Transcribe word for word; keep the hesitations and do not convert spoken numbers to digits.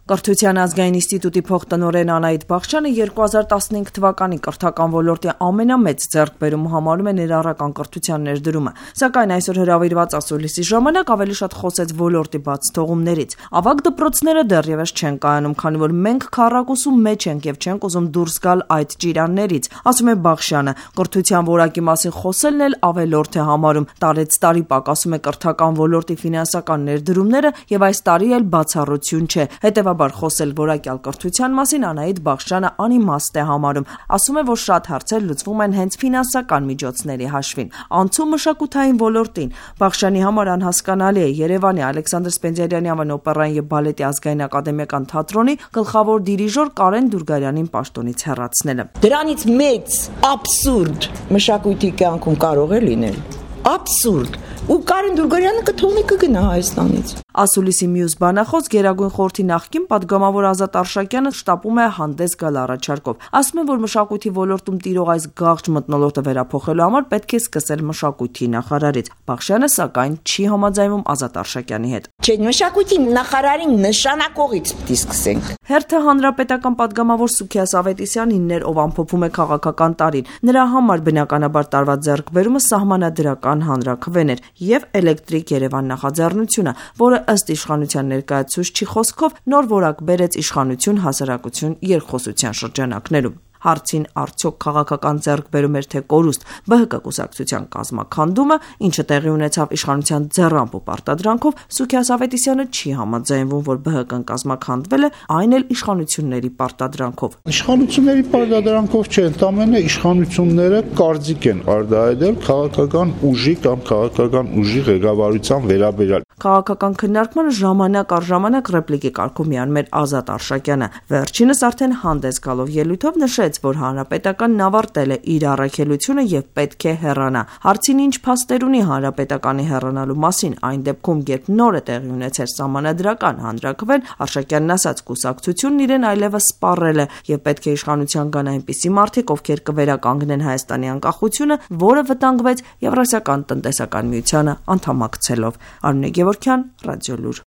Կրթության ազգային ինստիտուտի փոխտնօրեն Անահիտ Բախչյանը երկու հազար տասնհինգ թվականի կրթական ոլորտի ամենամեծ ձեռքբերումը համարում է ներառական կրթության ներդրումը, սակայն այսօր հրավիրված ասուլիսի ժամանակ ավելի շատ խոսեց ոլորտի բաց թողումներից։ Ավագ դպրոցները դեռևս չեն կայանում, քանի որ մենք քառակուսու մեջ ենք եւ չենք ուզում դուրս գալ այդ ճիրաններից, ասում է Բախչյանը։ Կրթության որակի մասին խոսելն էլ ավելորդ է համարում։ Տարեց տարի պակասում է կրթական ոլորտի ֆինանսական ներդրումները եւ այս տարի էլ բացառություն չէ։ Հետևաբար խոսել որակյալ կրթության մասին Անահիտ Բախչյանը անիմաստ է համարում։ Ասում է, որ շատ հարցեր լուծվում են հենց ֆինանսական միջոցների հաշվին։ Անցում մշակութային ոլորտին։ Բախչյանի համար անհասկանալի է Երևանի Ալեքսանդր Սպենդիարյանի անվան օպերային եւ բալետի ազգային ակադեմիական թատրոնի գլխավոր դիրիժոր Կարեն Դուրգարյանին պաշտոնից հեռացնելը։ Դրանից մեծ աբսուրդ մշակույթի կյանքում կարող է լինել։ Աբսուրդ։ Ու Կարեն Դուրգարյանը կթողնի կգնա Հայաստանից։ Ասուլիսի մյուս բանախոս Գերագույն խորհրդի նախկին падգամավոր Ազատ Արշակյանը շտապում է հանդես գալ առաջարկով։ Ասում է, որ մշակույթի ոլորտում տիրող այս գաղջ մթնոլորտը վերափոխելու համար պետք է սկսել մշակույթի նախարարից։ Բախչյանը սակայն չի համաձայնվում Ազատ Արշակյանի հետ։ Չէ, մշակույթի նախարարին նշանակողից պիտի սկսենք։ Հերթը հանրապետական падգամավոր Սուքիաս Ավետիսյանինն էր, ով ամփոփում է քաղաքական տարին։ Նրա համար բնականաբար տարված ձեռքբերումը սահմանադրական հանրաքվեն էր եւ Էլեկտրիկ Երևան նախաձեռնությունը, որը ըստ իշխանության ներկայացուցչի խոսքով նոր որակ բերեց իշխանություն հասարակություն երկխոսության շրջանակներում։ Հարցին արդյոք քաղաքական ձեռքբերում էր թե կորուստ ԲՀԿ կուսակցության կազմաքանդումը, ինչը տեղի ունեցավ իշխանության ձեռամբ ու պարտադրանքով, Սուքիաս Ավետիսյանը չի համաձայնվում, որ ԲՀԿ-ն կազմաքանդվել է, այն էլ իշխանությունների պարտադրանքով։ Իշխանությունների պարտադրանքով չէ, ընդամենը իշխանությունները կարծիք են արտահայտել քաղաքական ուժի կամ քաղաքական ուժի ղեկավարության վերաբերյալ։ Քաղաքական քննարկմանը ժամանակ առ ժամանակ ռեպլիկի կարգում միանում էր Ազատ Արշակյանը։ Վերջինս արդեն հանդես գալով ելույթով նշեց, որ հանրապետականն ավարտել է իր առաքելությունը եւ պետք է հեռանա։ Հարցին ինչ փաստեր ունի հանրապետականի հեռանալու մասին, այն դեպքում, երբ նոր է տեղի ունեցել սահմանադրական հանրաքվեն, Արշակյանն ասաց, կուսակցությունն իրեն այլևս սպառել է եւ պետք է իշխանության գան այնպիսի մարդիկ, ովքեր կվերականգնեն Հայաստանի անկախությունը, որը վտանգվեց Եվրասիական տնտեսական միությանը անդամակցելով։ Արմինե Գևորգյան, Ռադիոլուր։